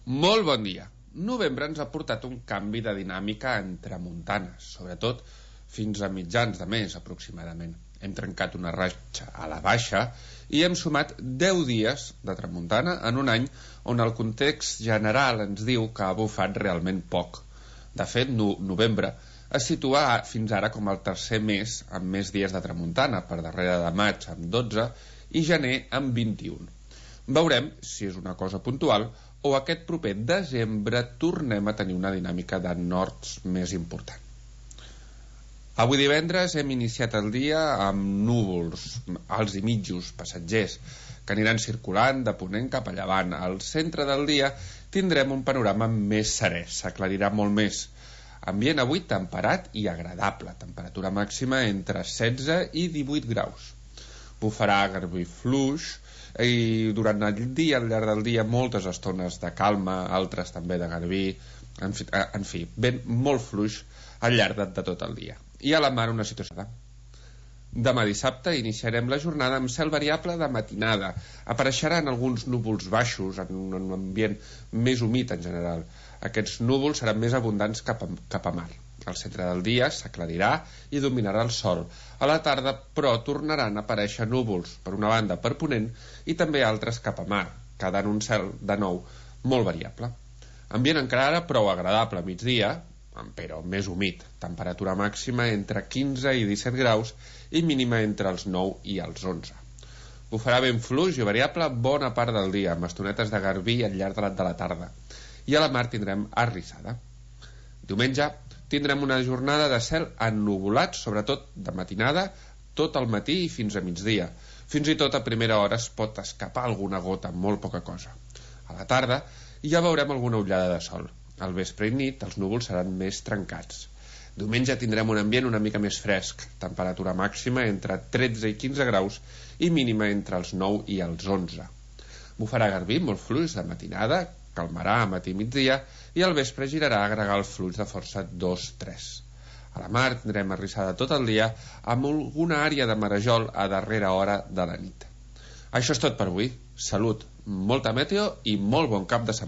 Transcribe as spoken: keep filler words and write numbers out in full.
Molt bon dia. Novembre ens ha portat un canvi de dinàmica en tramuntanes, sobretot fins a mitjans de mes aproximadament. Hem trencat una ratxa a la baixa i hem sumat deu dies de tramuntana en un any on el context general ens diu que ha bufat realment poc. De fet, no, novembre es situa fins ara com el tercer mes amb més dies de tramuntana, per darrere de maig amb dotze i gener amb vint-i-un. Veurem si és una cosa puntual o aquest proper desembre tornem a tenir una dinàmica de nords més important. Avui divendres hem iniciat el dia amb núvols alts i mitjos, passatgers, que aniran circulant de ponent cap a llevant. Al centre del dia tindrem un panorama més serè, s'aclarirà molt més. Ambient avui temperat i agradable, temperatura màxima entre setze i divuit graus. Bufarà garbí fluix i durant el dia, al llarg del dia, moltes estones de calma, altres també de garbí, en fi, en fi vent molt fluix al llarg de, de tot el dia. I a la mar una situació. Demà dissabte iniciarem la jornada amb cel variable de matinada. Apareixeran alguns núvols baixos en un ambient més humit en general. Aquests núvols seran més abundants cap a, cap a mar. Al centre del dia s'aclarirà i dominarà el sol. A la tarda, però, tornaran a aparèixer núvols, per una banda per ponent i també altres cap a mar, quedant un cel, de nou, molt variable. Ambient encara ara prou agradable a migdia, però més humit. Temperatura màxima entre quinze i disset graus i mínima entre els nou i els onze. Bufarà vent fluix i variable bona part del dia, amb estonetes de garbí al llarg de la tarda. I a la mar tindrem arrissada. Diumenge tindrem una jornada de cel ennuvolat, sobretot de matinada, tot el matí i fins a migdia. Fins i tot a primera hora es pot escapar alguna gota, molt poca cosa. A la tarda ja veurem alguna ullada de sol. Al vespre i nit els núvols seran més trencats. Diumenge tindrem un ambient una mica més fresc, temperatura màxima entre tretze i quinze graus i mínima entre els nou i els onze. Bufarà garbí molt fluix de matinada, calmarà a matí i migdia i al vespre girarà a agregar el flux de força dos tres. A la mar tindrem arrissada tot el dia amb alguna àrea de marejol a darrera hora de la nit. Això és tot per avui. Salut, molta meteo i molt bon cap de setmana.